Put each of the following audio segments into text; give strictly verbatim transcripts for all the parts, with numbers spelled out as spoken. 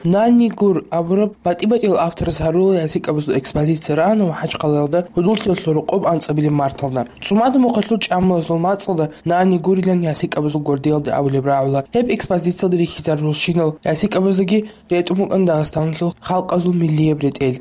«Нани гур» абураб батӀи-батӀиял автораз гьарурал ясикӀабазул экспозиция рагӀана МахӀачхъалаялда гьудуллъиялъул рокъоб анцӀабилеб марталда. ЦӀумада мухъалъул чӀамалазул мацӀалда «Нани гурилан» ясикӀабазул гвардиялда абулеб рагӀула. Гьеб экспозициялда рихьизарулщинал ясикӀабаздаги ретӀун букӀана Дагъистаналъул халкъазул миллияб ретӀел.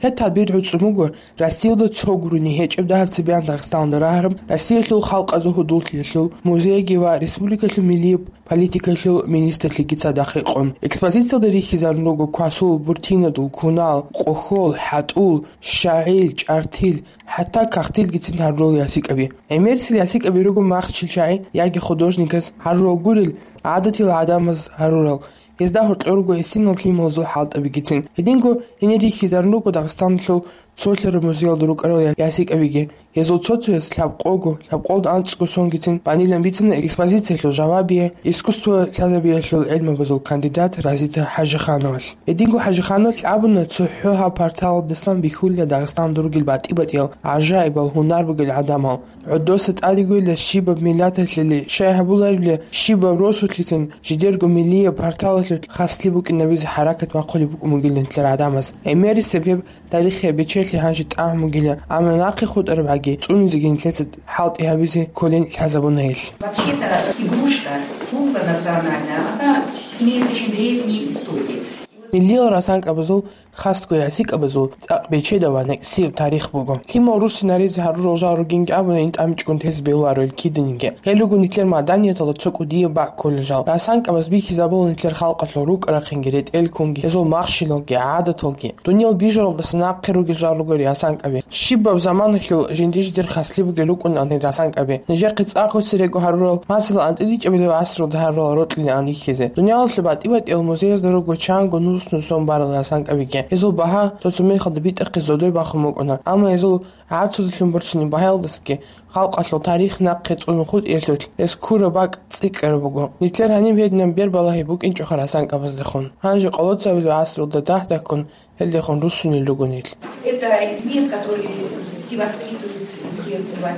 Гьеб тадбир гӀуцӀун буго Россиялда цо гурони гьечӀеб дагьаб цебеян Дагъистаналда рагьараб Россиялъул халкъазул гьудуллъиялъул музейги ва республикалъул миллияб политикалъул министрлъиги цадахъ рекъон. Экспозициялда рихьизарун руго квасул, буртинадул, кунал, къохьол, хӀатӀул, щагӀил, чӀартил, хӀатта кагътилгицин гьарурал ясикӀаби. ГӀемерисел ясикӀаби руго махчил чагӀи яги художниказ гьарурал гурел, гӀадатил гӀадамаз гьарурал. Гьезда гьоркьор руго гӀисинал лъималазул хӀалтӀабигицин. Гьединго гьенир рихьизарун руго Дагъистаналъул цолъараб музеялда рукӀарал я-, ясикӀабиги. Гьезул цо-цояз лъабкъого, лъабкъолда анцӀго сонгицин банилан бицана экспозициялъул жавабияй, искусство лъазабиялъул гӀелмабазул кандидат Разита ХӀажихановалъ. Гьединго ХӀажихановалъ абуна, цохӀо гьаб порталалдасан бихьула Дагъистаналда ругел батӀи-батӀиял гӀажаибал гьунар бугел гӀадамал. ГӀодоса тӀадегойила щибаб миллаталъе, щай гьабуларебали, щибаб росулъицин жидерго миллияб порталалъулъ хаслъи букӀинабизе хӀаракат бахъулеб букӀун бугилан нилъер гӀадамаз. ГӀемерисеб гьеб тарихияб бечелъи гьанже тӀагӀун бугила, амма нахъе хутӀарабгӀаги цӀунизеги нилъеца хӀалтӀи гьабизе кколин лъазабуна гьелъ. Вообще-то игрушка, кукла национальная, она имеет очень древние истории. Миллиял расанкабазул, хасго ясикабазул цӀакъ бечедав ва некӀсияб тарих буго. Лъимал руссинаризе гьарурал жал ругинги абуна, ин тӀамичӀгун тезе бегьуларо ил киданиги. Гьел руго нилъер маданияталда цо кӀудияб бакӀ кколел жал. Расанкабаз бихьизабула нилъер халкъалъул рукӀа-рахъинги, ретӀел-ккунги, гьезул махщелалги, гӀадаталги. Дуниял бижаралдаса нахъе ругел жал руго расанкаби. Щибаб заманалъул жинди-жидер хаслъи бугел рукӀунан гьел расанкаби. Нижехъе цӀакъго церего гьарурал, масала, анцӀила ичӀабилеб гӀасралда гьарурал рокьилаан рихьизе. Дуниялалъул батӀи-батӀиял музеязда руго чанго нус-нусон барал расанкабиги. Гьезул багьа цо-цо мехалда битӀахъе зодой бахун букӀуна, амма гьезул гӀарцудалъун борцине багьаялдасаги халкъалъул тарих нахъе цӀунун хутӀиялъулъ гьез ккураб бакӀ цӀикӀкӀараб буго. Нилъер гьаниб гьединаб бербалагьи букӀинчӀоха расанкабаздехун. Гьанже къоло цебе гӀасралда дагь-дагьккун гьелдехун руссунел руго нил. Это мир, который и воспитывают с детства.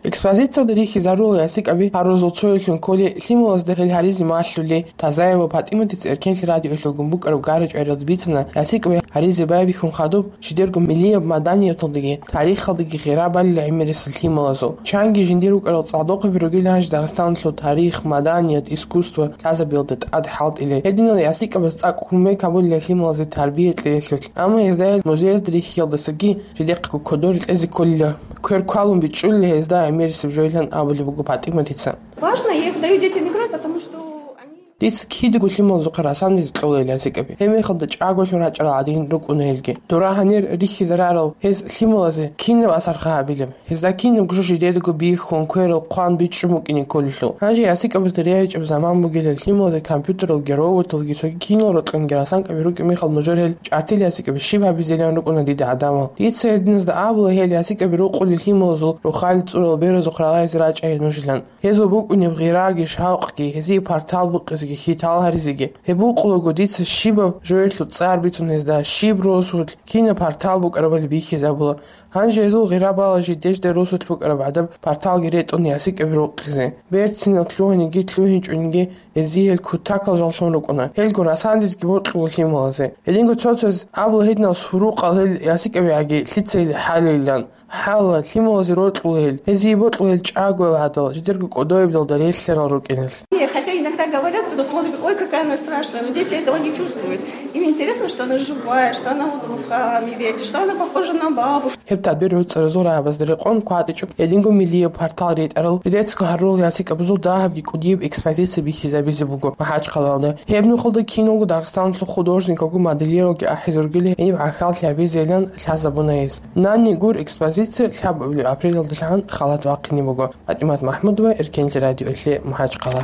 Экспозициялда рихьизарулел ясикаби гьарурал цоялъун кколи, лъималазда гьел гьаризе малъули, Тазаева ПатӀиматица Эркенлъи радиоялъулгун букӀараб гара-чӀвариялда бицана, ясикаби гьаризе байбихьун хадуб жидерго миллияб маданияталдаги тарихалдаги гъира балила гӀемерисел лъималазул. Чанги жиндир рукӀарал цӀалдохъаби ругел гьанже Дагъистаналъул тарих, маданият, искусство лъазабиялда тӀад хӀалтӀилел. Гьединал ясикабаз цӀакъ кумек гьабулила лъималазе тарбия кьеялъулъ. Амма гьезда гьел музеязда рихьиялдасаги жидехъего кодоре кьезе кколила. Квер квалун бичӀчӀулила гьезда гӀемерисеб жоялъан абулеб буго ПатӀиматица. Важно, я их даю детям играть, потому что они... Дица кидаго лъималазухъе расандизе кьола гьел ясикаби. Гьеб мехалда чӀаголъун рачӀарал гӀадин рукӀуна гьелги. Дора гьанир рихьизарарал гьез лъималазе кинаб асарха гьабилеб? Гьезда кинабго жо жидедаго бихьун, кверал хъван бичӀчӀун букӀине кколелъул. Гьанже ясикабазда регӀичӀеб заман бугилан, лъималазе компьютералги, роботалги, цоги кинал рокьунги расанкаби рукӀине мехалда нужер гьел чӀартил ясикаби щиб гьабизелан рукӀуна дида гӀадамал. Дица гьединазда абула гьел ясикаби рукъулел лъималазул рохалил цӀурал беразухъ рагъаризе рачӀайин нужилан. Гьезул букӀунеб гъираги шавкъги, гьезие партал букъизеги хьитал гьаризеги. Гьеб букъулаго дица щибаб жоялъул цӀар бицун гьезда, щиб росулъ, кинаб партал букӀарабали бихьизабула. Гьанже гьезул гъира бала жидеда росулъ букӀараб гӀадаб парталги ретӀун ясикаби рукъизе. Берцинал лъугьиниги лъугьинчӀониги гьезие гьел кутакал жаллъун рукӀуна. Гьелго расандизги бокьула лъималазе. Гьединго цо-цояз абула гьединал сурукъал гьел ясикабигӀаги лъица гьел хӀалейилан. ХӀала, лъималазе рокьула гьел, гьезие бокьула гьел чӀагоял гӀадал, жидерго кӀодояб далда релълъарал рукӀиналъ. И хотя иногда говорят, кто-то смотрит: «Ой, какая она страшная», но дети этого не чувствуют. Им интересно, что она живая, что она вот руками вертит, что она похожа на бабушку. Гьеб тадбир гӀуцӀаразул рагӀабазда рекъон кватӀичӀо гьединго миллияб партал ретӀарал, жидецаго гьарурал ясикабазул дагьабги кӀудияб экспозиция бихьизабизе буго МахӀачхъалаялда. Гьеб нухалда киналго Дагъистаналъул художникалги моделиралги ахӀизе ругел гьениб гӀахьаллъи гьабизейилан лъазабуна гьез. «Нани гур» экспозиция лъабабилеб апрелалдалъун халат бахъине буго. ПатӀимат МахӀмудова, Эркенлъи радиоялъе, МахӀачхъала.